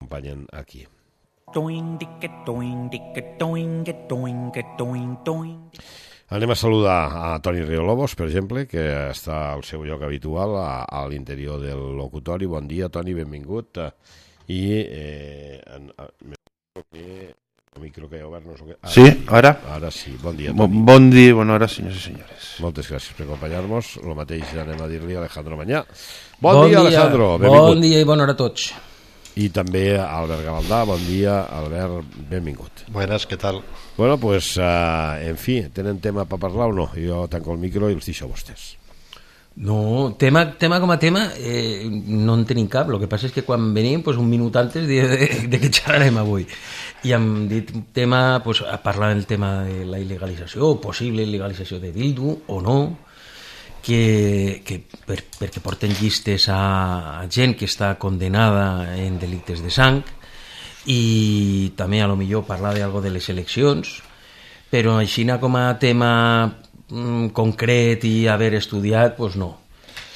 acompanyen aquí. Anem a saludar a Toni Riolobos, per exemple, que està al seu lloc habitual a l'interior del locutori. Bon dia, Toni, benvingut. I el micro que he obert no sé què... Sí, ara? Ara sí, bon dia, Toni. Bon dia, bona hora, senyors i senyores. Moltes gràcies per acompanyar-nos. El mateix anem a dir-li a Alejandro Mañá. Bon dia, Alejandro, benvingut. Bon dia i bona hora a tots. I també a Albert Gavaldà, bon dia, Albert, benvingut. Buenas, ¿qué tal? Bueno, pues, en fi, tenen tema per parlar o no? Jo tanco el micro i els deixo a vostès. No, tema com a tema no en tenim cap. El que passa és que quan venim, pues, un minut antes de que xerrarem avui, i hem dit tema, pues, a parlar del tema de la il·legalització, o possible il·legalització de Bildu o no, perquè porten llistes a gent que està condenada en delictes de sang, i també a lo millor parlar d'algo de les eleccions, però així com a tema concret i haver estudiat, pues no.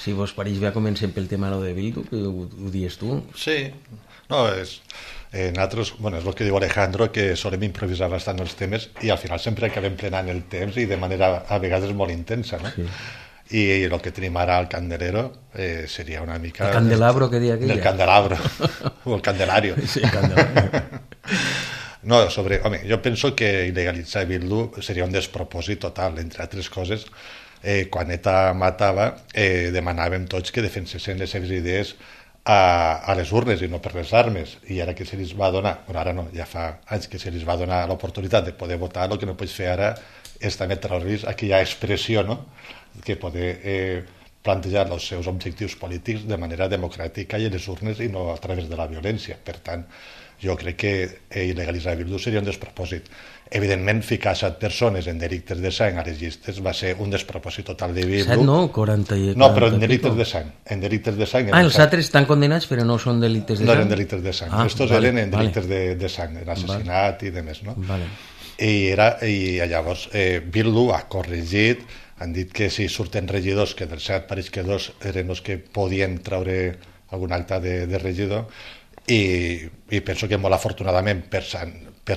Si vos pareix bé, comencem pel tema de Bildu, que ho dius tu. Sí, no, nosaltres, bueno, és el que diu Alejandro, que solem improvisar bastant els temes i al final sempre acabem plenant el temps i de manera a vegades molt intensa, no? Sí. I el que tenim ara al Candelero seria una mica... El candelabro que dia aquella. El candelabro, o el candelario. Sí, el candelabro. No, home, jo penso que il·legalitzar Bildu seria un despropòsit total, entre altres coses. Quan ETA matava, demanàvem tots que defensessin les seves idees a les urnes i no per les armes, i ara que se li va donar, bueno, ara no, ja fa anys que se li va donar l'oportunitat de poder votar, el que no pots fer ara és també treure aquella expressió, no?, que poder plantejar els seus objectius polítics de manera democràtica i a les urnes i no a través de la violència. Per tant, jo crec que il·legalitzar Bildu seria un despropòsit. Evidentment, ficar 7 persones en delictes de sang a les llistes va ser un despropòsit total de Bildu. 7 no, 40 i... No, però en delictes de sang. En delictes de sang... els altres estan condenats, però no són delictes de sang? No eren delictes de sang. Estos eren en delictes de sang, en assassinat i demés, no? Vale. I llavors Bildu ha corregit, han dit que si surten regidors, que dels 7 pareix que 2 eren els que podien treure algun acte de regidor, i penso que molt afortunadament per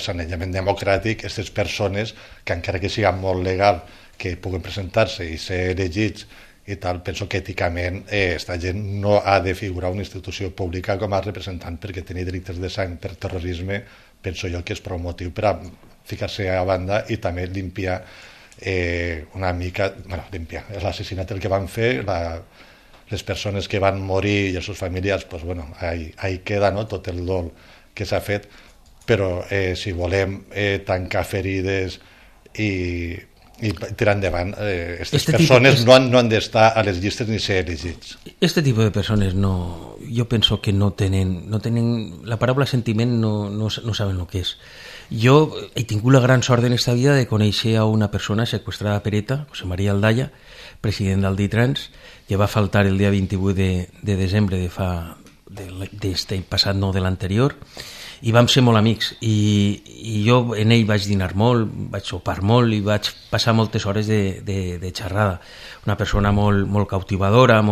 sanejament democràtic aquestes persones que encara que siga molt legal que puguen presentar-se i ser elegits i tal, penso que èticament esta gent no ha de figurar una institució pública com a representant, perquè tenir delictes de sang per terrorisme penso jo que és prou motiu per a ficar-se a banda i també limpiar una mica, bueno, limpiar l'assassinat el que van fer, les persones que van morir i els seus familiars, pues bueno, ahí queda, no?, tot el dol que s'ha fet, però si volem tancar ferides i tirar endavant, aquestes persones no han d'estar a les llistes ni ser elegits. Este tipus de persones no, jo penso que no tenen la paraula sentiment, no saben el que és. Jo he tingut la gran sort en esta vida de conèixer a una persona seqüestrada per ETA, José María Aldaya, president del DITRANS, que va faltar el dia 28 de desembre d'este passat, no de l'anterior, i vam ser molt amics, i jo en ell vaig dinar molt, vaig sopar molt i vaig passar moltes hores de xerrada. Una persona molt cautivadora,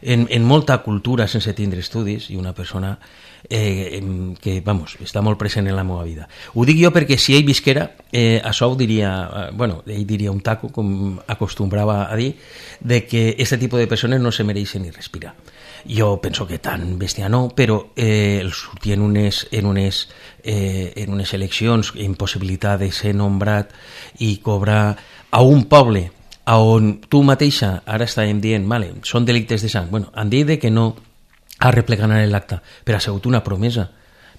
en molta cultura sense tindre estudis, i una persona que, vamos, està molt present en la meva vida. Ho dic jo perquè si ell visquera, això ho diria, bueno, ell diria un taco, com acostumbrava a dir, de que aquest tipus de persones no se mereixen ni respirar. Jo penso que tan bèstia no, però el sortir en unes eleccions amb possibilitat de ser nombrat i cobrar a un poble on tu mateixa, ara estàvem dient, vale, són delictes de sang, bueno, han dit que no arreplegaran l'acte, però ha sigut una promesa,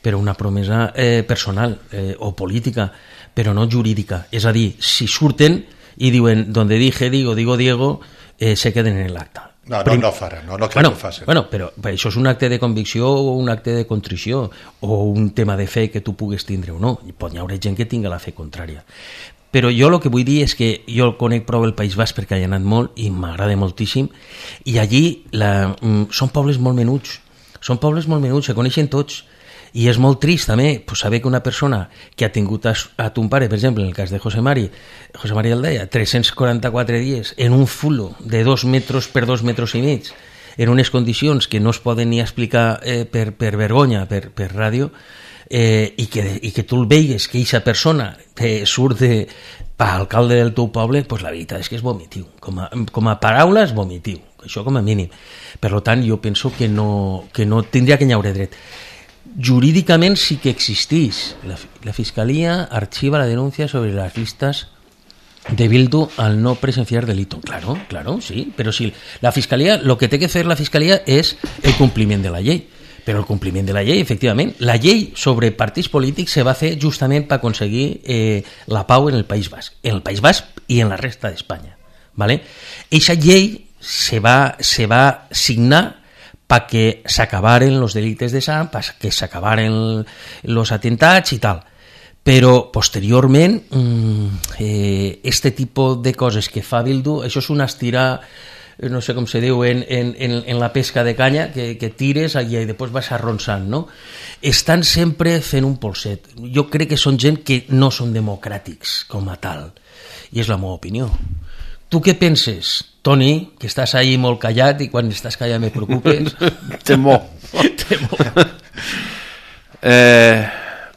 però una promesa personal o política, però no jurídica. És a dir, si surten i diuen donde dije, digo Diego, se queden en l'acte. No farà, no crec que ho facin. Bueno, però això és un acte de convicció o un acte de contrició o un tema de fe que tu pugues tindre o no. Pot hi haurà gent que tinga la fe contrària. Però jo el que vull dir és que jo conec prou el País Basc perquè hi he anat molt i m'agrada moltíssim, i allí són pobles molt menuts, se coneixen tots, i és molt trist també saber que una persona que ha tingut a ton pare, per exemple, en el cas de José María Aldaya, 344 dies en un fulo de 2 metres per 2 metres i mig, en unes condicions que no es poden ni explicar per vergonya, per ràdio, i que tu el veigues que aquesta persona surt per alcalde del teu poble, pues la veritat és que és vomitiu. Com a paraula és vomitiu, això com a mínim. Per tant, jo penso que no tindria que n'haure dret. Jurídicament sí que existís. La Fiscalía archiva la denuncia sobre las listas de Bildu al no presenciar delito. Claro, sí, pero si la Fiscalía, lo que tiene que hacer la Fiscalía es el cumpliment de la llei. Però el compliment de la llei, efectivament, la llei sobre partits polítics se va fer justament per aconseguir la pau en el País Basc i en la resta d'Espanya, ¿vale? Eixa llei se va signar para que s'acabaren los delites de sang, para que s'acabaren los atentats i tal. Però posteriorment este tipus de coses que fa Bildu, això és una estirar, no sé com se diu en la pesca de canya, que tires i després vas arronsant, no? Estan sempre fent un polset. Jo crec que són gent que no són democràtics com a tal, i és la meva opinió. Tu què penses, Toni, que estàs ahí molt callat i quan estàs callat me preocupes? Temo.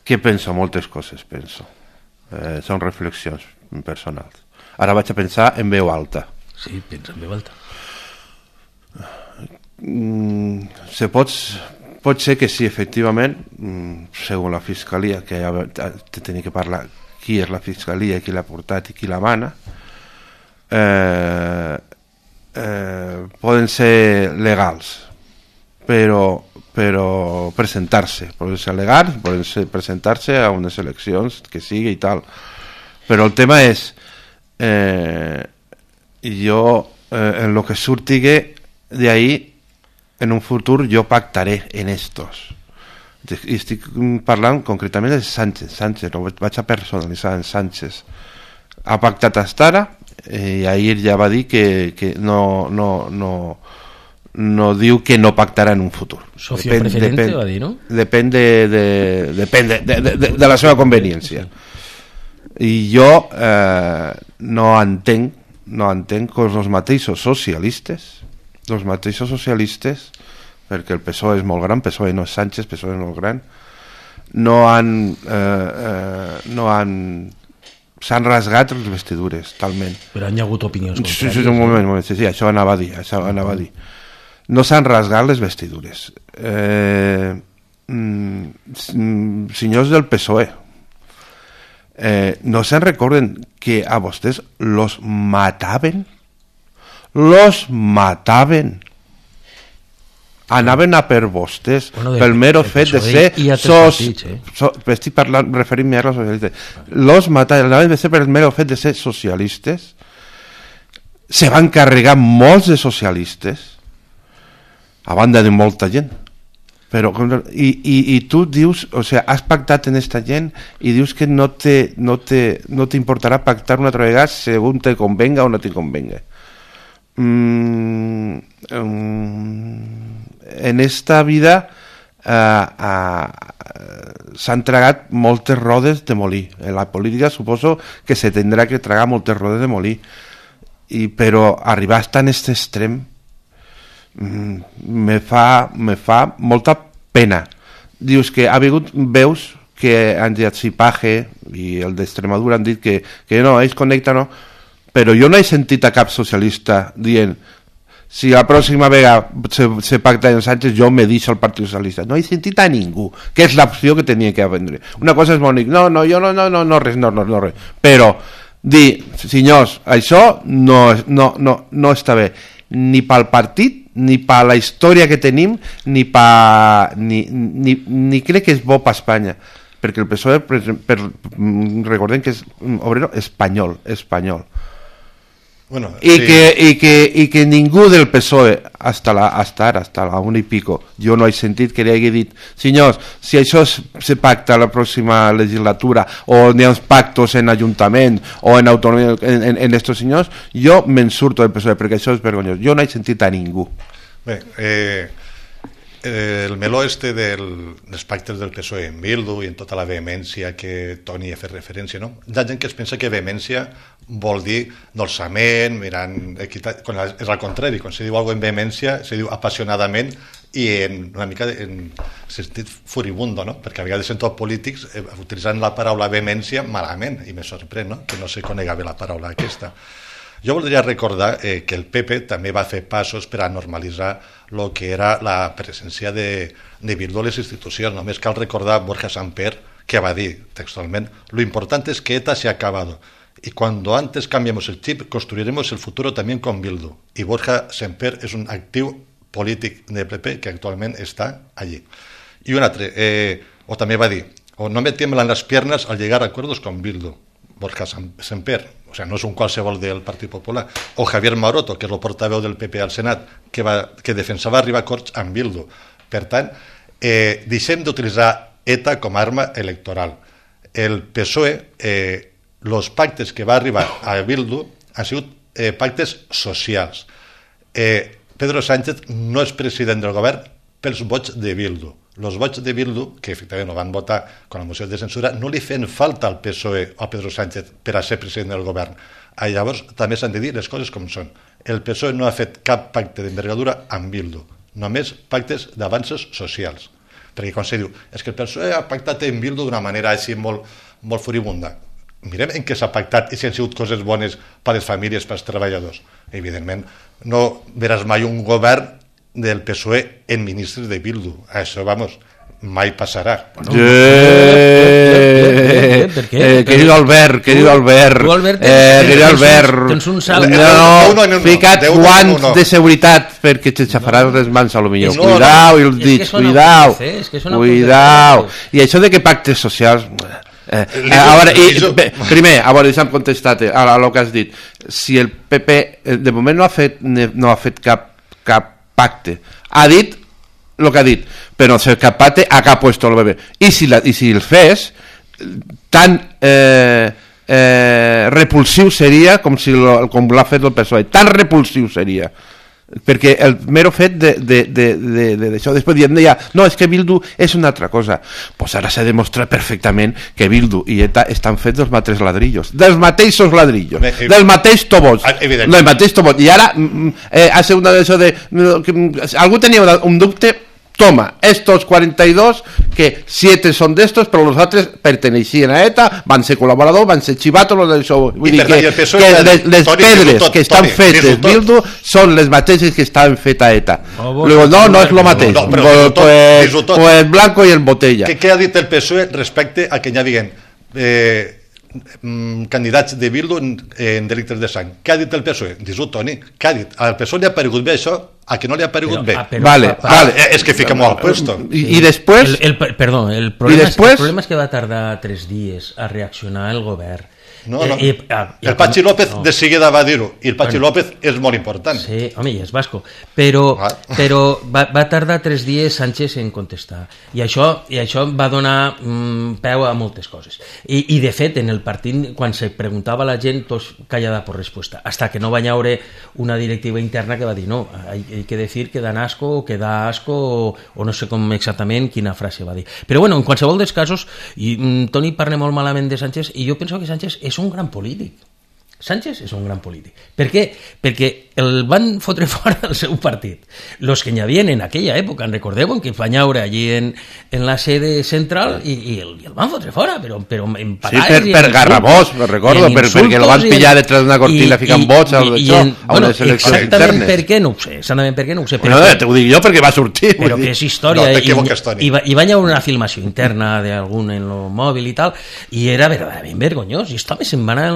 Què penso? Moltes coses penso. Són reflexions personals. Ara vaig a pensar en veu alta. Sí, pensa en veu alta. Pot ser que sí, efectivament, segons la Fiscalia, que tenia que parlar qui és la Fiscalia, qui l'ha portat i qui la mana, poden ser legals, però presentar-se, poden ser legals, poden presentar-se a unes eleccions que sigui i tal, però el tema és jo en lo que surtigue de ahí en un futur jo pactaré en estos. I estic parlant concretament de Sánchez, no vaig a personalitzar en Sánchez. Ha pactat hasta ara i ahir ja va dir que no diu que no pactarà en un futur. Socio preferente va dir, no? Depèn de la seva conveniència. I jo no entenc que els mateixos socialistes, perquè el PSOE és molt gran, PSOE no és Sánchez, PSOE és molt gran, s'han rasgat les vestidures talment. Però han hi ha hagut opinions contràries. Sí, un moment, sí, això anava a dir. No s'han rasgat les vestidures. Senyors del PSOE, no se'n recorden que a vostès los mataven, anaven a per vostès, pel mero fet de ser estic parlant, referint-me a los socialistes, los mataven, anaven a ser per el mero fet de ser socialistes, se van carregar molts de socialistes a banda de molta gent, però i tu dius, o sea, has pactat en esta gent i dius que no t'importarà pactar una altra vegada segons te convenga o no te convenga. En esta vida s'han tragat moltes rodes de molí. En la política suposo que se tindrà que tragar moltes rodes de molí, però arribar hasta en aquest extrem me fa molta pena. Dius que ha hagut veus que han dit Sipaje i el d'Extremadura han dit que no, ells connecten, no, però jo no he sentit a cap socialista dient si la pròxima vegada se pacta en Sánchez jo me deixo el Partit Socialista. No he sentit a ningú, que és l'opció que tenia que vendre. Una cosa és bonic, no, res, però dir, senyors, això no està bé, ni pel partit, ni per la història que tenim, ni crec que és bo per Espanya, perquè el PSOE, recordem que és un obrero espanyol. Bueno, sí. I que ningú del PSOE hasta ara, hasta la 1 i pico, jo no he sentit que li hagi dit senyors, si això se pacta la pròxima legislatura o n'hi ha uns pactos en ajuntament o en autonomia en estos senyors, jo me'n surto del PSOE perquè això és vergonyós. Jo no he sentit a ningú. Bé, el meló dels pactes del PSOE en Bildu i en tota la vehemència que Toni ha fet referència, no? Hi ha gent que es pensa que vehemència vol dir dolçament, mirant equitat, és al contrari, quan se diu alguna cosa amb vehemència, se diu apassionadament i una mica en sentit furibundo, no? Perquè a vegades sento polítics utilitzant la paraula vehemència malament, i me sorprèn, no? Que no se conega bé la paraula aquesta. Jo voldria recordar que el PP també va fer passos per a normalitzar el que era la presència de Bildu a les institucions. Només cal recordar Borja Samper, que va dir textualment: lo importante es que ETA se ha acabado y cuando antes cambiemos el chip construiremos el futuro también con Bildu. Y Borja Semper és un actiu polític del PP que actualment està allí. I un altre, o també va dir: o no me tiemblan las piernas al llegar a acuerdos con Bildu. Borja Semper, o sea, no és un qualsevol del Partit Popular. O Javier Maroto, que és el portaveu del PP al Senat, que defensava arribar a acords amb Bildu. Per tant, deixem d'utilitzar ETA com a arma electoral. El PSOE, els pactes que va arribar a Bildu han sigut pactes socials. Pedro Sánchez no és president del govern pels vots de Bildu. Els vots de Bildu, que efectivament no van votar con la moció de censura, no li feien falta al PSOE o a Pedro Sánchez per a ser president del govern. Llavors també s'han de dir les coses com són. El PSOE no ha fet cap pacte d'envergadura amb Bildu, només pactes d'avanços socials. Perquè quan se diu, és que el PSOE ha pactat amb Bildu d'una manera així molt furibunda. Mirem en què s'ha pactat i si han sigut coses bones per a les famílies, per als treballadors. Evidentment, no veràs mai un govern del PSOE en ministres de Bildu. Això, vamos, mai passarà. Querido Albert, querido Albert, tens un salt. Fica't guants de seguretat perquè t'aixafaràs les mans a lo millor. Cuidao, i els dits, cuidao. I això de que pactes socials... primer, a veure, deixa'm contestar a lo que has dit. Si el PP de moment no ha fet cap pacte, ha dit el que ha dit, però no sé cap pacte acá ha puesto el bebé, i si el fes tan repulsiu seria com l'ha fet el PSOE, tan repulsiu seria, perquè el mero fet d'això, després deia, no, és que Bildu és una altra cosa. Pues ara s'ha demostrat perfectament que Bildu i ETA estan fets dels mateixos ladrillos, del mateix tobot, i ara ha sigut una d'això de algú tenia un dubte. Toma, estos 42, que 7 son de estos, pero los otros pertenecían a ETA, van ser colaboradors, van ser chivatos, les pedres que estan fetes Bildu són les mateixes que estan fetes a ETA. Luego, no és lo mateix. Pues Blanco y el Botella. Què ha dit el PSOE respecte a que hi havien candidats de Bildu en delictes de sang? Què ha dit el PSOE? Dis-ho, Toni, què ha dit? Al PSOE li ha paregut bé això? A que no li ha paregut bé? Vale. És que fica molt al puesto. I després... Perdó, el problema és que va tardar 3 dies a reaccionar el govern. No. El Patxi López de seguida va dir-ho, i el Patxi López és molt important. Sí, home, i és basco, però va tardar 3 dies Sánchez en contestar, i això va donar peu a moltes coses, i de fet en el partit quan se preguntava a la gent tots callada por respuesta, hasta que no va haure una directiva interna que va dir no, hay que decir que dan asco o que da asco o no sé com exactament quina frase va dir, però bueno, en qualsevol dels casos, i Toni parla molt malament de Sánchez, i jo penso que Sánchez és un gran polític. Sánchez és un gran polític. Per què? Perquè el van fotre fora del seu partit. Los que n'hi havia en aquella època, recordeu que van haure allí en la sede central i el van fotre fora, però en parades... Sí, per garrabós, me recordo, perquè el van pillar detrás d'una cortina ficant vots a unes eleccions internes. Exactament per què no ho sé. No, t'ho dic jo perquè va sortir. Però que és història. I van haure una filmació interna d'algun en el mòbil i tal, i era verdaderament vergonyós. I home, se'n va anar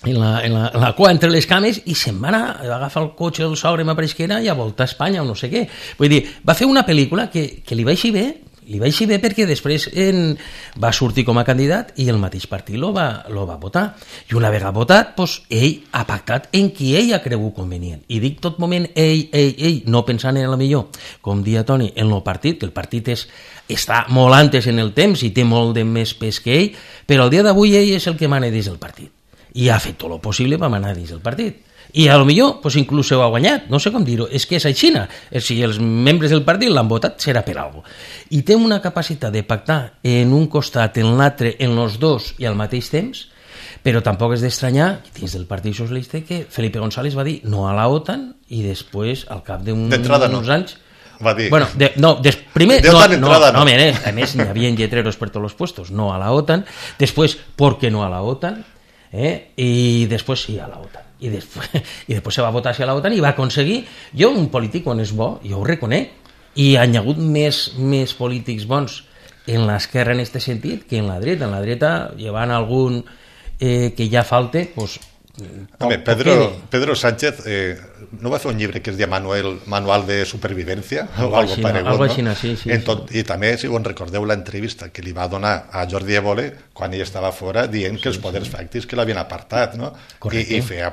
en la cua entre les cames i se'n va anar a agafar el cotxe del sogre, m'apareix que era, i a voltar a Espanya o no sé què. Vull dir, va fer una pel·lícula que li va eixir bé perquè després va sortir com a candidat i el mateix partit lo va votar. I una vegada votat, doncs, ell ha pactat en qui ell ha cregut convenient. I dic tot moment ell, no pensant en el millor, com dia Toni, en el partit, que el partit està molt antes en el temps i té molt de més pes que ell, però el dia d'avui ell és el que mana dins del partit. I ha fet tot el possible per manar dins del partit. I a lo millor, pues, inclús ho ha guanyat, no sé com dir-ho, és que és aixina. Si els membres del partit l'han votat, serà per alguna cosa. I té una capacitat de pactar en un costat, en l'altre, en els dos i al mateix temps, Però tampoc és d'estranyar, dins del Partit Socialista, que Felipe González va dir no a la OTAN i després, al cap d'uns anys... Va dir... Bueno, primer, no. A més, hi havia lletreros per tots els puestos, no a la OTAN, després, ¿por qué no a la OTAN? I després sí a la OTAN. I després se va votar sí a la OTAN i va aconseguir... Jo, un polític on és bo, jo ho reconec, i hi ha hagut més polítics bons en l'esquerra en aquest sentit que en la dreta. En la dreta, llevant algun que ja falte, pues, Pedro Sánchez no va fer un llibre que es deia Manual de Supervivencia o algo paregut, no? Sí. I també, si us recordeu l'entrevista que li va donar a Jordi Évole quan ell estava fora dient que els poders fàctics que l'havien apartat, no? I feia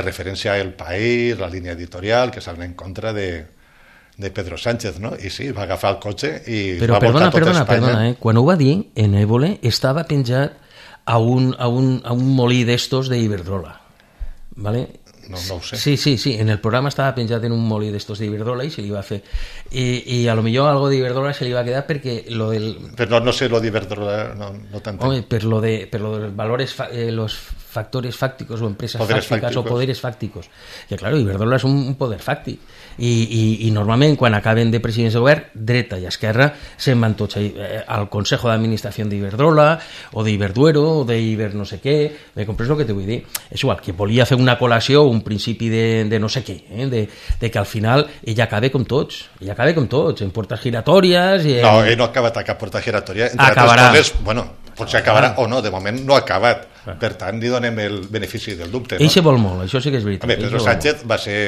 referència al País, la línia editorial, que estaven en contra de Pedro Sánchez, no? I sí, va agafar el cotxe i va voltar tot Espanya. Perdona, quan ho va dir, en Évole estava penjat a un molí d'estos d'Iberdrola, ¿vale? No ho sé. Sí, en el programa estava penjat en un molí d'estos d'Iberdrola i se li va fer... I a lo millor algo d'Iberdrola se li va quedar perquè lo del... Però no sé lo d'Iberdrola, no t'entenc. Home, per lo de valores, los factores fácticos o empresas fácticas o poderes fácticos. Que claro, Iberdrola és un poder fàctic. I normalment quan acaben de presidents de govern, dreta i esquerra se'n van tots al Consejo d'Administració d'Iberdrola o d'Iberduero o d'Iber no sé què. Me compres el que te vull dir? És igual, que volia fer una col·lació, un principi de no sé què, de que al final ella acaba com tots, en portes giratòries... No, ell no ha acabat a cap porta giratòria. Acabarà. Potser acabarà o no, de moment no ha acabat. Per tant, li donem el benefici del dubte. Ell se vol molt, això sí que és veritat. Pedro Sánchez va ser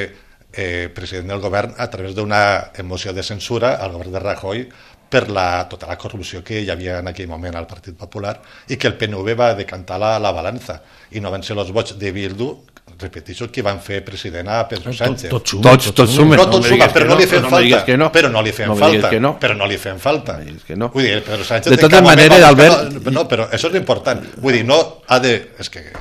president del govern a través d'una moció de censura al govern de Rajoy per tota la corrupció que hi havia en aquell moment al Partit Popular i que el PNV va decantar la balança i no van ser els vots de Bildu, repeteixo, que van fer president a Pedro Sánchez. Tots sumen. No tots sumen, però no li fem falta. Però no li fem falta. Vull dir, Pedro Sánchez... De totes maneres, Albert... No, però això és important. Vull dir, no ha de...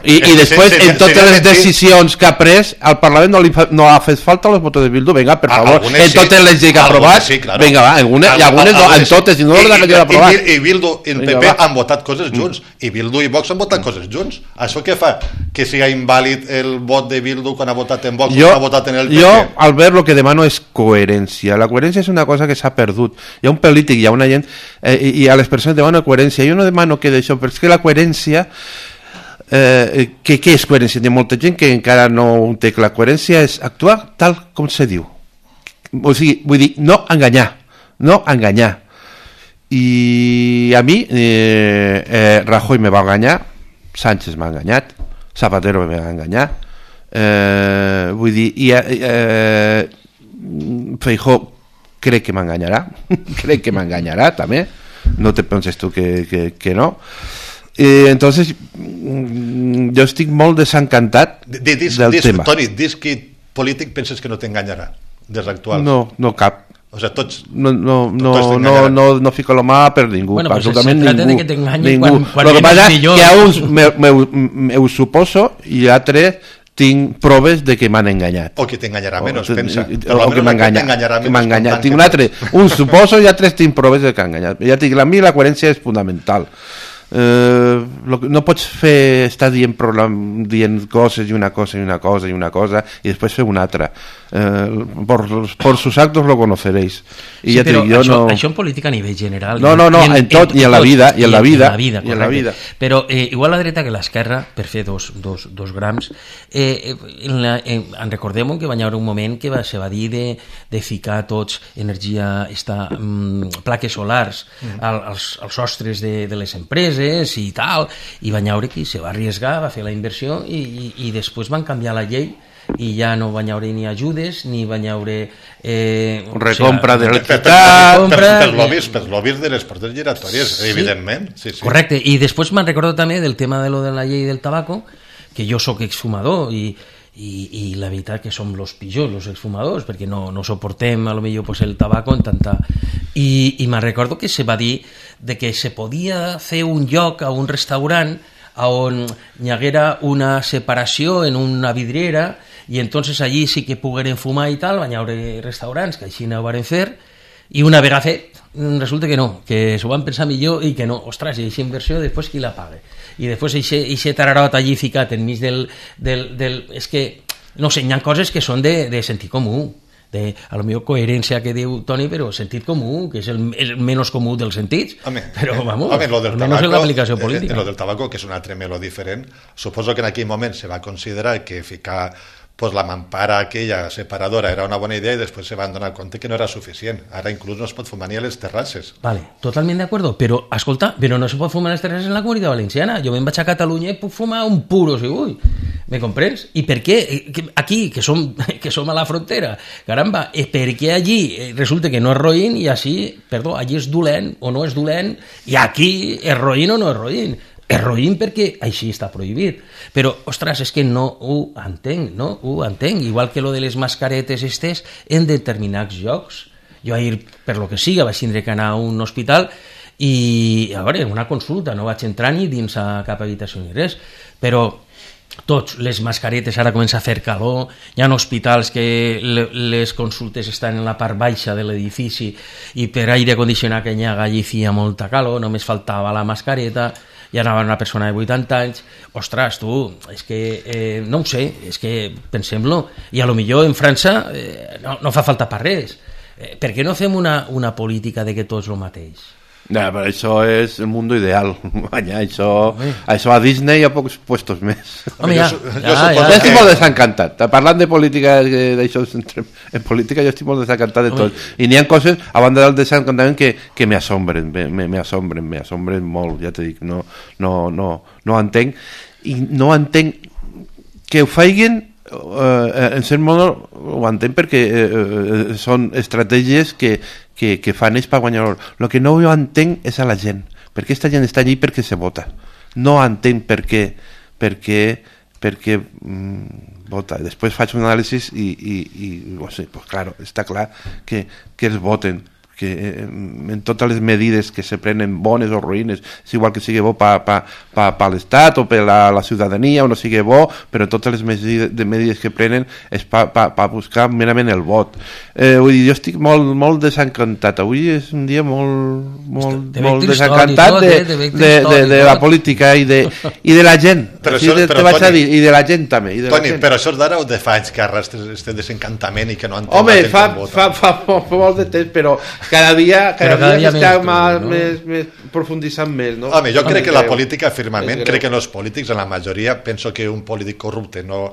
I després, en totes les decisions que ha pres, al Parlament no ha fet falta los votos de Bildu. Vinga, per favor, en totes les lleis que ha aprovat, vinga, va, algunes no, en totes, i no les ha aprovat. I Bildu i el PP han votat coses junts, i Bildu i Vox han votat coses junts. Això què fa? Que sigui invàlid el vot de Bildu quan ha votat en Vox o ha votat en el PP? Jo, Albert, lo que demano és coherència. La coherència és una cosa que s'ha perdut. Hi ha un polític, hi ha una gent, i a les persones demano coherència. Jo no demano que d'això, però és que la coherència... què és coherència? Hi ha molta gent que encara no ho té. La coherència és actuar tal com se diu. O sigui, vull dir, no enganyar. I a mi Rajoy me va enganyar, Sánchez m'ha enganyat, Zapatero me va enganyar, vull dir, Feijóo crec que m'enganyarà també, no te penses tu que no. Entonces jo estic molt desencantat del tema. Toni, dis que polític penses que no t'enganyarà des l'actual? No cap. O sea, tots no fico la mà per ningú. Bueno, pues absolutament se trata ningú. de que t'enganyin quan Lo que passa és millor. que a uns ho suposo i a altres tinc proves de que m'han enganyat. O que t'enganyarà menys, pensa. O que m'ha enganyat. Tinc un suposo i altres tinc proves de que han enganyat. Ja dic, a mi la coherència és fundamental. No pots estar dient coses i una cosa i després fer una altra. Por sus actos lo conoceréis. Sí, ja però això en política a nivell general. No, en tot, i en la vida. Però igual la dreta que l'esquerra, per fer dos grams, en recordem que va haver un moment que se va dir de ficar tots energia, plaques solars als sostres de les empreses i tal, i va haver qui se va arriesgar, va fer la inversió i després van canviar la llei i ja no va haver ni ajudes ni va haver recompra d'electricitat per lobbies de les portes giratòries, evidentment. Sí. Correcte, i després me'n recordo també del tema de lo de la llei del tabaco, que jo soc exfumador i la veritat que som los pitjors, los exfumadors, perquè no soportem a lo millor pues, el tabaco en tanta... I me'n recordo que se va dir de que se podia fer un lloc a un restaurant on hi haguera una separació en una vidriera i entonces allí sí que pogueren fumar i tal, van haver restaurants que així no ho van fer i una vegada fet resulta que no, que s'ho van pensar millor i que no, ostres, i aquesta inversió després qui la paga? I després aquest tararot allí ficat enmig del... És que, no sé, hi ha coses que són de sentit comú, a lo millor coherència que diu Toni, però sentit comú, que és el menys comú dels sentits, però vamos, almenys en l'aplicació política. Lo del tabaco, que és un altre meló diferent, suposo que en aquell moment se va considerar que ficar pues la mampara aquella separadora era una bona idea i després se van donar compte que no era suficient. Ara inclús no es pot fumar ni a les terrasses. Vale, totalment d'acord, però, escolta, però no se pot fumar a les terrasses en la Comunitat Valenciana. Jo me'n vaig a Catalunya i puc fumar un puro si vull. Me comprens? I per què? Aquí, que som a la frontera, caramba, per què allí resulta que no és roïn i així, perdó, allí és dolent o no és dolent i aquí és roïn o no és roïn? És roïn perquè així està prohibit. Però, ostres, és que no ho entenc, no ho entenc. Igual que lo de les mascaretes estes en determinats llocs. Jo ahir, per lo que siga, vaig tindre que anar a un hospital i, a veure, una consulta, no vaig entrar ni dins a cap habitació ni res, però tots, les mascaretes, ara comença a fer calor, hi ha hospitals que les consultes estan en la part baixa de l'edifici i per aire condicionat que hi ha allí feia molta calor, només faltava la mascareta, i anava una persona de 80 anys, ostres, tu, és que no ho sé, és que pensem-lo, i a lo millor en França no fa falta per res. Per què no fem una política de que tots el mateix? No, però això és el mundo ideal. Això a Disney hi ha pocs puestos més. Home, ja estic molt desencantat. Parlant de política, en política jo estic molt desencantat de tot. I n'hi ha coses, a banda del desencantament, que m'assombren molt, ja t'he dit. No entenc. I no entenc que ho feien en cert modo ho entenc perquè són estratègies que fan ells per guanyar l'or. El que no ho entenc és a la gent, perquè aquesta gent està allí perquè se vota. No entenc per què vota. Després faig un anàlisi i no sé, pues claro, està clar que els voten, que en totes les medides que se prenen bones o ruïnes, és igual que sigui bo per l'Estat o per la ciutadania o no sigui bo, però totes les medides que prenen és per buscar merament el vot. Vull dir, jo estic molt desencantat. Avui és un dia molt desencantat de la política i de la gent. Te vaig a dir, i de la gent també. Toni, però això és d'ara o de fa anys que arrastres aquest desencantament i que no entenc? Home, fa molt de temps, però cada dia més profunditzant més, no? Home, jo crec que la política, firmament, crec que en els polítics, en la majoria, penso que un polític corrupte no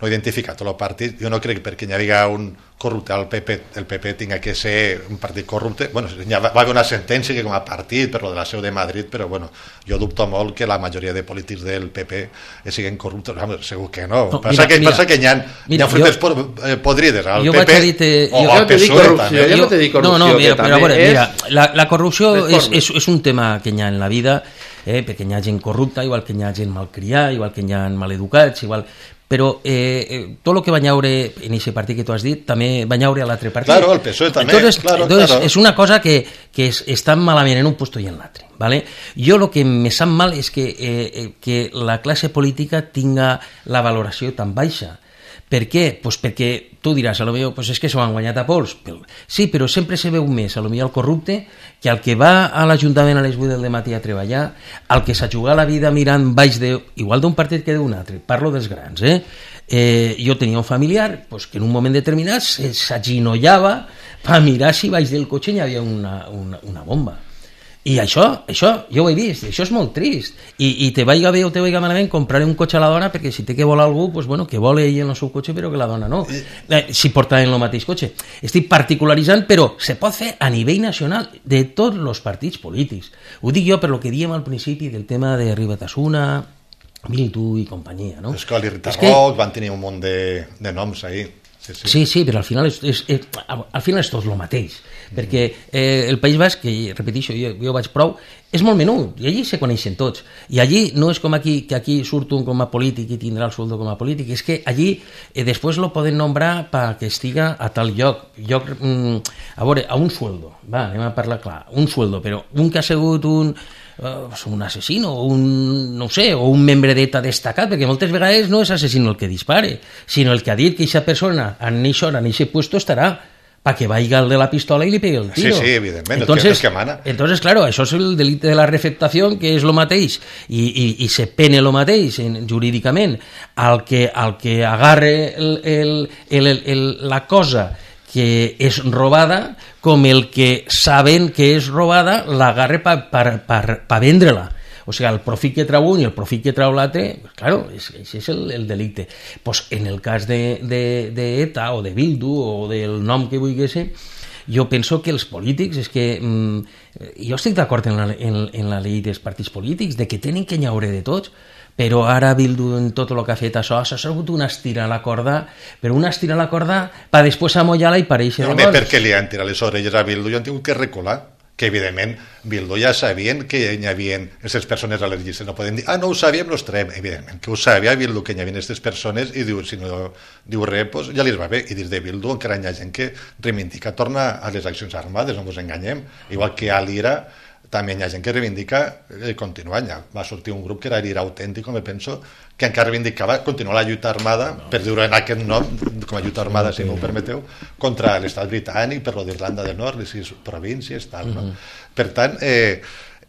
identifica tot el partit. Jo no crec que perquè hi hagi un corrupte al PP, el PP tinga que ser un partit corrupte. Bueno, va haver una sentència que com a partit per lo de la seu de Madrid, però bueno, jo dubto molt que la majoria de polítics del PP siguin corruptes. Segur que no. Passa que hi ha fruites podrides al PP o al PSOE també. Jo no t'he dit corrupció. No, mira, però a veure, mira, la corrupció és un tema que hi ha en la vida, perquè hi ha gent corrupta, igual que hi ha gent malcriada, igual que hi ha maleducats, igual... Però tot el que va llaure en aquest partit que tu has dit també va llaure a l'altre partit. Claro, el PSOE també. Entonces, és una cosa que està malament en un puesto i en l'altre. ¿Vale? Jo el que me sap mal és que la classe política tinga la valoració tan baixa. Per què? Pues perquè tu diràs, a lo millor, pues és que s'ho han guanyat a pols. Sí, però sempre se veu més, a lo millor el corrupte, que el que va a l'Ajuntament a les 8 del matí a treballar, el que s'ha jugat la vida mirant baix igual d'un partit que d'un altre. Parlo dels grans, jo tenia un familiar pues, que en un moment determinat s'aginollava per mirar si baix del cotxe hi havia una bomba. I això jo ho he vist, això és molt trist. I te vaiga bé o te vaiga malament compraré un cotxe a la dona perquè si té que volar algú, pues bueno, que vole ell en el seu cotxe però que la dona no. Si porta en el mateix cotxe. Estic particularitzant, però se pot fer a nivell nacional de tots els partits polítics. Ho dic jo per lo que diem al principi del tema de Ribatasuna, Miltu i companyia, no? Escola i Rita Roc van tenir un munt de noms ahí. Sí, però al final és tot el mateix, perquè el País Basc, que repeteixo, jo vaig prou, és molt menut, i allí se coneixen tots, i allí no és com aquí, que aquí surt un com a polític i tindrà el sueldo com a polític, és que allí després lo poden nombrar perquè estiga a tal lloc, a veure, a un sueldo, anem a parlar clar, un sueldo, però un que ha sigut un assassino o un membre d'ETA destacat, perquè moltes vegades no és assassino el que dispare, sinó el que ha dit que aquesta persona en aquest puesto estarà, para que vaya el de la pistola y le pegue el tiro. Sí, evidentment, entonces, el que mana. Entonces, claro, això és el delicte de la refectació, que és lo mateix, i se pene lo mateix jurídicament al que agarre la cosa que és robada, com el que saben que és robada l'agarre per vendre-la. O sigui, el profit que trau un i el profit que trau l'altre, claro, això és el delicte. Pues en el cas d'ETA o de Bildu o del nom que vulgui ser, jo penso que els polítics, és que jo estic d'acord en la llei dels partits polítics, de que tenen que nyaure de tots, però ara Bildu en tot el que ha fet això ha sigut una estira a la corda, però una estira a la corda per després amollar-la i pareixer de gols. Perquè li han tirat les orelles a Bildu i han tingut que recular, que evidentment Bildu ja sabien que hi havia aquestes persones a les llistes, no poden dir, no ho sabíem, no els traiem, evidentment que ho sabia Bildu que hi havia aquestes persones, i diu, si no diu res, pues ja li va bé, i dins de Bildu encara hi ha gent que reivindica tornar a les accions armades, no ens enganyem, igual que a l'IRA també hi ha gent que reivindica continuar. Va sortir un grup que era l'IRA Autèntico, me penso, que encara reivindicava continuar la lluita armada, per dir-ho en aquest nom, com a lluita armada, si no ho permeteu, contra l'estat britànic, per lo d'Irlanda del Nord, les 6 províncies, tal, no? Per tant,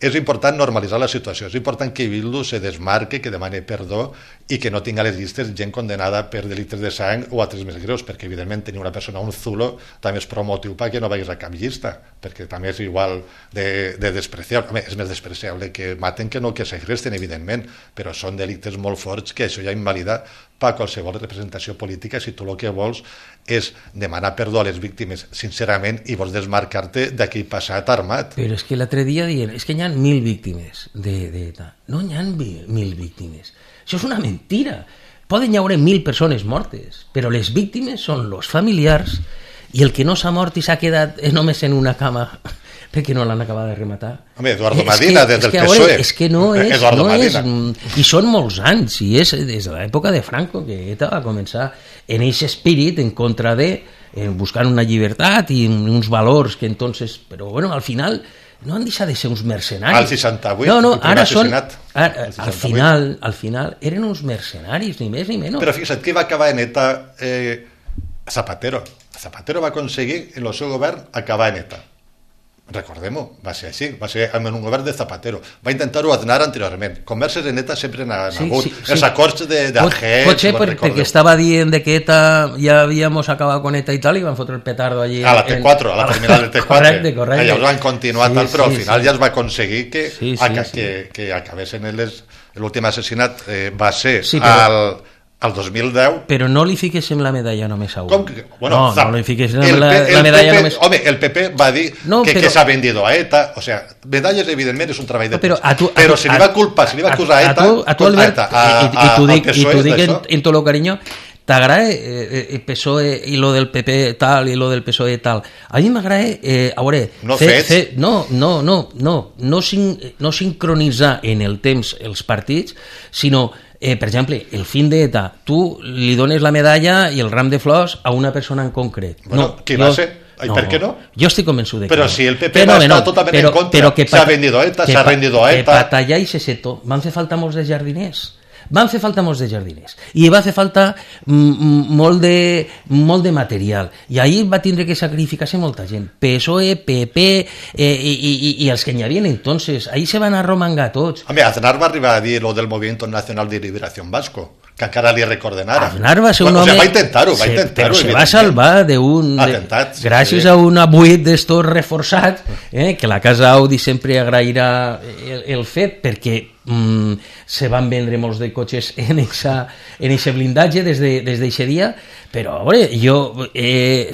és important normalitzar la situació, és important que Bildu se desmarque, que demani perdó i que no tinga a les llistes gent condenada per delictes de sang o altres més greus, perquè evidentment tenir una persona, un zulo, també és prou motiu perquè no vagis a cap llista, perquè també és igual de despreciable. Home, és més despreciable que maten que no que segresten, evidentment, però són delictes molt forts que això ja invalida per qualsevol representació política si tu el que vols és demanar perdó a les víctimes sincerament i vols desmarcar-te d'aquell passat armat. Però és que l'altre dia diuen, és que hi ha 1.000 víctimes d'ETA. No hi ha 1.000 víctimes. Això és una mentira. Poden hi haver 1.000 persones mortes, però les víctimes són els familiars i el que no s'ha mort i s'ha quedat només en una cama perquè no l'han acabat de rematar. Home, Eduardo Madina, des del PSOE. És que no és, i són molts anys, i és des de l'època de Franco que ETA va començar en aquest espírit en contra de, buscant una llibertat i uns valors que entonces, però bueno, al final no han deixat de ser uns mercenaris. Al 68, no, ara són, al final eren uns mercenaris, ni més ni menys. Però fixa't, qui va acabar en ETA? Zapatero. Zapatero va aconseguir en el seu govern acabar en ETA. Recordem-ho, va ser així, va ser en un govern de Zapatero. Va intentar-ho Aznar anteriorment. Converses en ETA sempre n'han hagut. Els acords d'Alger... Potser perquè estava dient que ETA ja havíamos acabat con ETA i tal, i van fotre el petardo allí... A la T4, a la terminal de T4. Correcte. Llavors van continuar tal, però al final ja es va aconseguir que acabessin l'últim assassinat va ser al 2010... Però no li fiquéssim la medalla només a un. Com que? Bueno, no li fiquéssim la medalla només... Home, el PP va dir que s'ha vendido a ETA, o sea, medalles evidentment és un treball de premsa, però si li va culpar, si li va acusar a ETA... A tu, Albert, i t'ho dic en tot el carinyo, t'agrada el PSOE i lo del PP tal i lo del PSOE tal. A mi m'agrada, a veure... No sincronitzar en el temps els partits, sinó... per exemple, el fin d'ETA, tu li dones la medalla i el ram de flors a una persona en concret. Bueno, qui va ser? ¿Per qué no? Jo estic convençut de que Però si el PP va estar totalment en contra, s'ha vendido a ETA, s'ha rendido a ETA... Que batallar i se seto. Van fer falta molts de jardiners. I va fer falta molt de material, i ahir va tindre que sacrificar-se molta gent, PSOE, PP i els que n'hi havia entonces, ahir se van arromangar tots. Home, Aznar va arribar a dir lo del Movimiento Nacional de Liberación Vasco, que encara li recorden ara. Aznar va ser un home... Va intentar-ho, però se va salvar d'un... Gràcies a un abuit d'estos reforçat, que la Casa Audi sempre agrairà el fet, perquè se van vendre molts de cotxes en eixe blindatge des d'eixe dia, però a veure, jo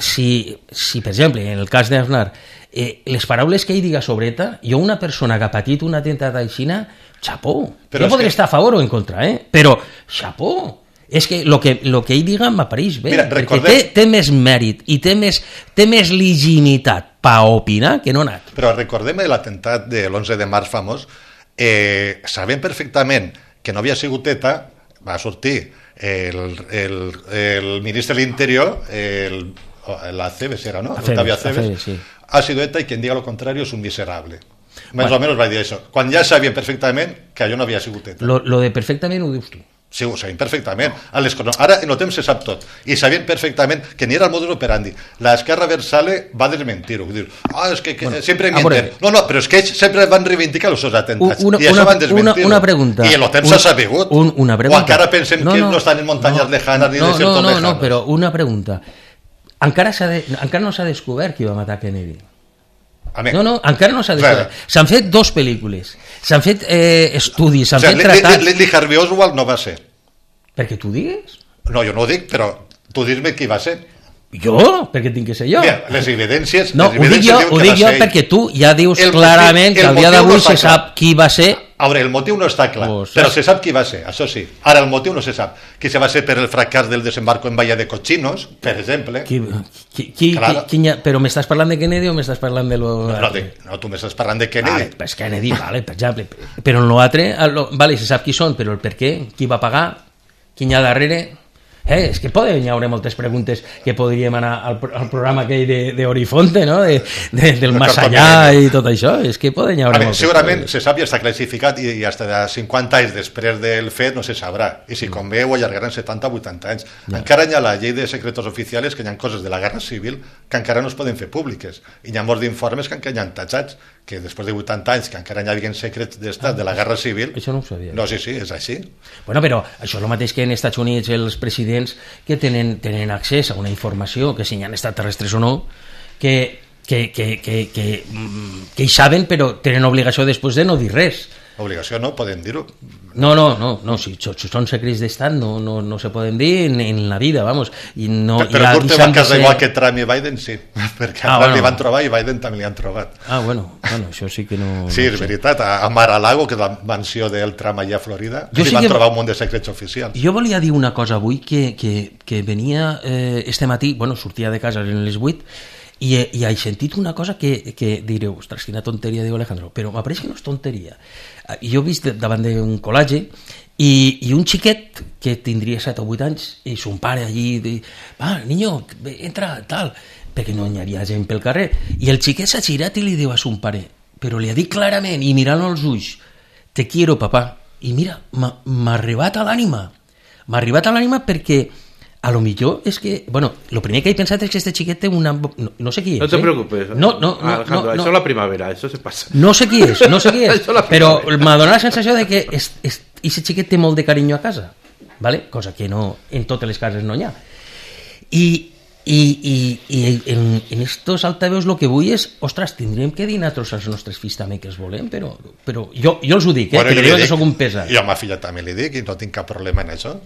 si per exemple en el cas d'Aznar les paraules que ell diga sobre ETA, jo una persona que ha patit un atemptat aixina, xapó, jo podré estar a favor o en contra, però xapó, és que lo que ell diga m'apareix bé. Mira, perquè té més mèrit i té més legitimitat per opinar que no anat. Però recordem l'atemptat de l'11 de març famós, sabent perfectament que no havia sigut ETA, va sortir el ministre de l'Interior, l'Aceves era, ¿no? Octavio Aceves, sí. Ha sido ETA y quien diga lo contrario es un miserable. Més o menys va dir això. Quan ja sabien perfectament que allò no havia sigut ETA. Lo de perfectament ho dius tu. Sí, ho sabien perfectament. Ara en el temps se sap tot. I sabien perfectament que ni era el modus operandi. L'esquerra versale va desmentir-ho. Dir, és que sempre mienten. No, però és que ells sempre van reivindicar els seus atentats. I això van desmentir-ho. Una pregunta. I en el temps s'ha sabut. Una pregunta. O encara pensen que no estan en muntanyes lejanes ni desiertos lejanos. No, però una pregunta. Encara no s'ha descobert qui va matar Kennedy. No, encara no s'ha descobert. S'han fet 2 pel·lícules, s'han fet estudis, s'han fet tratats. Lee Harvey Oswald no va ser. Perquè tu digues? No, jo no ho dic, però tu dis-me qui va ser. Jo? Perquè tinc que ser jo. Mira, les evidències... No, ho dic jo perquè tu ja dius clarament que al dia d'avui se sap qui va ser. A veure, el motiu no està clar, però se sap qui va ser, això sí. Ara, el motiu no se sap. Qui se va ser per el fracàs del desembarco en Bahia de Cochinos, per exemple. Però m'estàs parlant de Kennedy o m'estàs parlant de lo... No, tu m'estàs parlant de Kennedy. Pues Kennedy, vale, per exemple. Però en l'altre, vale, se sap qui són, però el per què, qui va pagar, qui hi ha darrere... és que poden haver moltes preguntes que podríem anar al programa aquell d'Orifonte, no? Del Más Allà i tot això, és que poden haver moltes segurament se sap i està classificat i fins a 50 anys després del fet no se sabrà, i si convé ho allargaran 70 o 80 anys. Encara hi ha la llei de secretos oficials, que hi ha coses de la Guerra Civil que encara no es poden fer públiques, i hi ha molts d'informes que encara hi ha tatxats, que després de 80 anys que encara hi havia secrets d'estat de la Guerra Civil. Això no ho sabia. No, sí, és així. Bueno, però això és el mateix que en Estats Units els presidents que tenen accés a una informació, que si hi ha extraterrestres o no, que hi saben però tenen obligació després de no dir res. Obligació no, poden dir-ho. No, si són secrets d'estat no se poden dir en la vida, vamos. Però Kurt va casar igual que Trump i Biden, sí, perquè a Trump li van trobar i Biden també li han trobat. Bueno, això sí que no... Sí, és veritat, a Mar-a-Lago, que és la mansió del Trump allà a Florida, li van trobar un munt de secrets oficials. Jo volia dir una cosa avui, que venia este matí, sortia de casa en les 8, i he sentit una cosa que direu, ostres, quina tonteria, diu Alejandro, però m'apareix que no és tonteria. Jo he vist davant d'un col·legi i un xiquet que tindria 7 o 8 anys i son pare allí, va, niño, entra, tal, perquè no hi havia gent pel carrer, i el xiquet s'ha girat i li diu a son pare, però li ha dit clarament i mirant als ulls, te quiero, papá, i mira, m'ha arribat a l'ànima perquè a lo millor és que, lo primer que he pensat és que este xiquet té una... No sé qui és. No te preocupes. Alejandro, això és la primavera, això se passa. No sé qui és, però m'ha donat la sensació de que aquest xiquet té molt de carinyo a casa, ¿vale? Cosa que no, en totes les cases no hi ha. I en estos altaveus el que vull és, ostres, tindríem que dir nosaltres als nostres fills també que els volem, però jo els ho dic, que diuen que soc un pesat. Jo a ma filla també li dic i no tinc cap problema en això.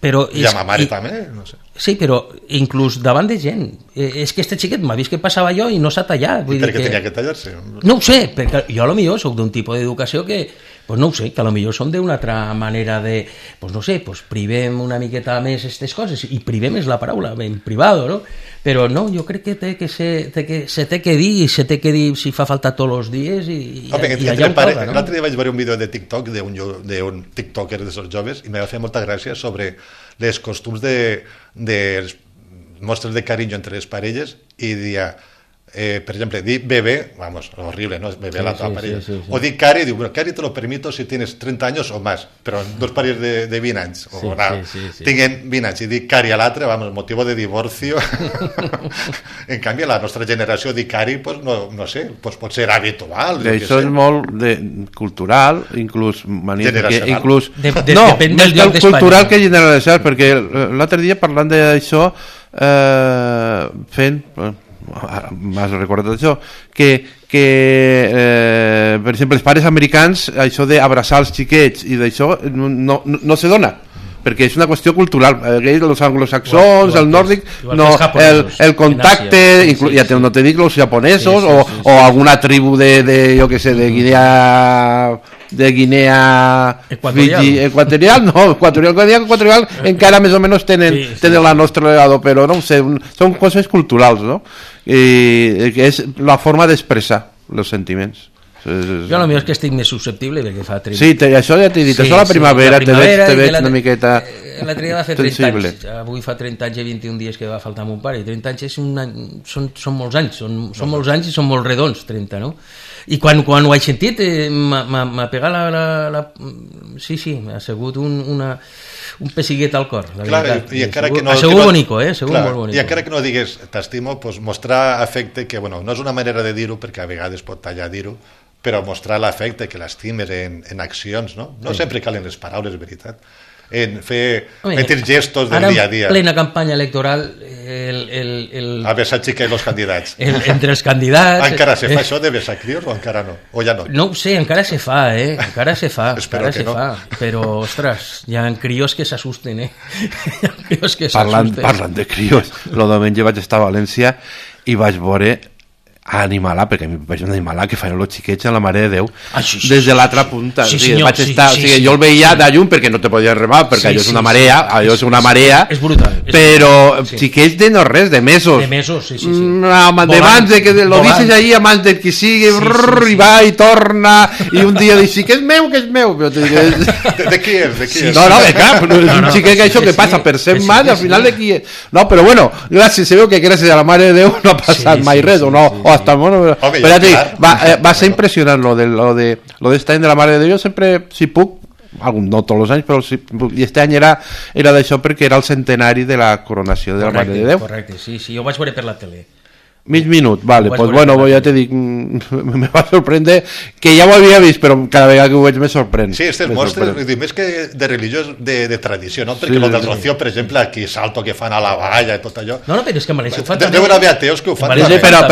I a ma mare també, no sé. Sí, però inclús davant de gent. És que este xiquet m'ha vist que passava jo i no s'ha tallat. I per què tenia que tallar-se? No ho sé, perquè jo a lo millor soc d'un tipus d'educació que, no ho sé, que a lo millor som d'una altra manera de, no sé, privem una miqueta més aquestes coses, i privem és la paraula, en privado, no? Però no, jo crec que se té que dir, i se té que dir si fa falta tots els dies, i allà ho toca, no? L'altre dia vaig veure un vídeo de TikTok d'un tiktoker dels joves i m'ha fet molta gràcia sobre les costums de mostres de carinyo entre les parelles i dia, per exemple, dir bebé, vamos, horrible, ¿no? Bebé a la parella. Sí. O dir cari, diu, bueno, cari te lo permito si tienes 30 años o más, però dos parelles de 20 anys, o tinguen 20 anys, i dir cari a l'altre, vamos, motivo de divorcio. En canvi, la nostra generació dir cari, pues, no sé, pues pot ser habitual. Això és molt cultural, inclús generacional. Depèn del lloc d'Espanya. Cultural que generalitzar, perquè l'altre dia parlant d'això, fent... m'has recordat això que per exemple els pares americans això d'abraçar els xiquets i d'això no se dona perquè és una qüestió cultural, els anglosaxons, el nòrdic, el contacte, ja no te dic els japonesos o alguna tribu de jo que sé, de Guinea equatorial encara més o menys tenen la nostra legado, però no ho sé, són coses culturals, no? Que és la forma d'expressar els sentiments. Jo potser és que estic més susceptible perquè fa 30... Sí, això ja t'he dit, això la primavera te veig una miqueta l'altre dia va fer 30 Sensible. anys. Avui fa 30 anys i 21 dies que va faltar mon pare. I 30 anys és un any, són molts anys, són molts anys i són molt redons, 30, no? I quan ho he sentit m'ha pegat sí, m'ha sigut un pessiguet al cor, la Clar, veritat. i encara que no, ha sigut bonico, ha sigut molt bonico. I encara que no digues t'estimo, pues mostrar afecte, que bueno, no és una manera de dir-ho, perquè a vegades pot tallar dir-ho, però mostrar l'afecte, que l'estimes en accions, no? No sempre calen les paraules, veritat. En fer petits gestos del dia a dia. Ara, en plena campanya electoral, a besar xica i els candidats. Entre els candidats... Encara se fa això de besar crios o encara no? O ja no? No ho sé, encara se fa, encara se fa. Espero que no. Però, ostres, hi ha crios que s'assusten, Hi ha crios que s'assusten. Parlant de crios, el diumenge vaig estar a València i vaig veure a Animalà, perquè a mi vaig un Animalà que feien els xiquets a la Mare de Déu des de l'altra punta. Sí, o sigui, senyor, vaig estar, sí, o sigui, sí, jo el veia de llum perquè no te podies remar, perquè allò és una marea, allò és una marea, és brutal, però xiquets de no res, de mesos. De mesos, sí. De mans de que lo dices ahí a mans del qui sigui, i va i torna, i un dia dius, que és meu, però te dic, de qui és? No, que clar, un xiquet que això que passa per ser mà, al final de qui és. No, però bueno, gràcies, se veu que gràcies a la Mare de Déu no ha passat mai res, o no, o hasta el mono... Però va ser impressionant lo de este any de la Mare de Déu. Jo sempre, si puc, no tots els anys, però si puc, i este any era d'això perquè era el centenari de la coronació de la Mare de Déu. Correcte, sí, jo ho vaig veure per la tele. Mig minut, vale, pues bueno, ja te dic, me va sorprendre, que ja ho havia vist, però cada vegada que ho veig me sorprèn. Sí, aquestes mostres, més que de religió, de tradició, no? Perquè el del Rocío, per exemple, aquí salto que fan a la valla i tot allò. No, però és que a València ho fan també. Deuen haver ateos que ho fan. Sí, però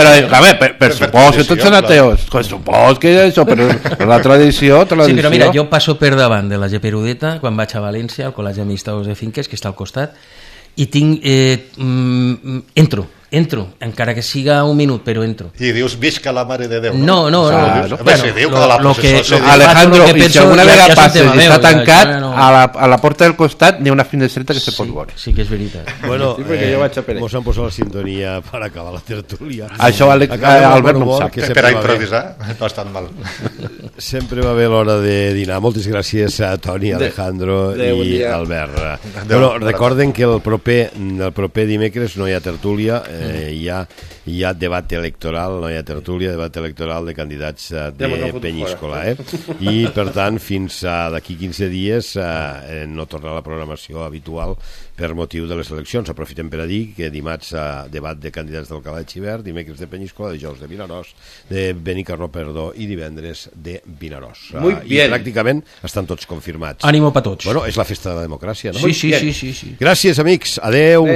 per supòs que tots són ateos, supòs que això, però la tradició... Sí, però mira, jo passo per davant de la Geperudeta quan vaig a València, al Col·legi d'Administradors de Finques, que està al costat, i tinc... Entro, encara que siga un minut, però entro. I dius, visca la Mare de Déu. No. Se diu que la processó... Alejandro, i si alguna vegada passes i està tancat, a la porta del costat n'hi ha una finestreta que se pot veure. Sí que és veritat. Bueno, mos han posat la sintonia per acabar la tertúlia. Això Albert no ho sap. Per a improvisar, no ha estat mal. Sempre va bé l'hora de dinar. Moltes gràcies a Toni, Alejandro i Albert. Bueno, recorden que el proper dimecres no hi ha tertúlia, hi ha debat electoral, no hi ha tertúlia, debat electoral de candidats de Penyíscola, i per tant fins d'aquí 15 dies no torna la programació habitual per motiu de les eleccions. Aprofitem per a dir que dimarts debat de candidats d'Alcalá de Xivert, dimecres de Penyíscola, dijous de Vinaròs, de Benicarló, perdó, i divendres de Vinaròs. I pràcticament estan tots confirmats. Ànimo per tots. Bueno, és la festa de la democràcia, no? Sí. Gràcies, amics. Adeu.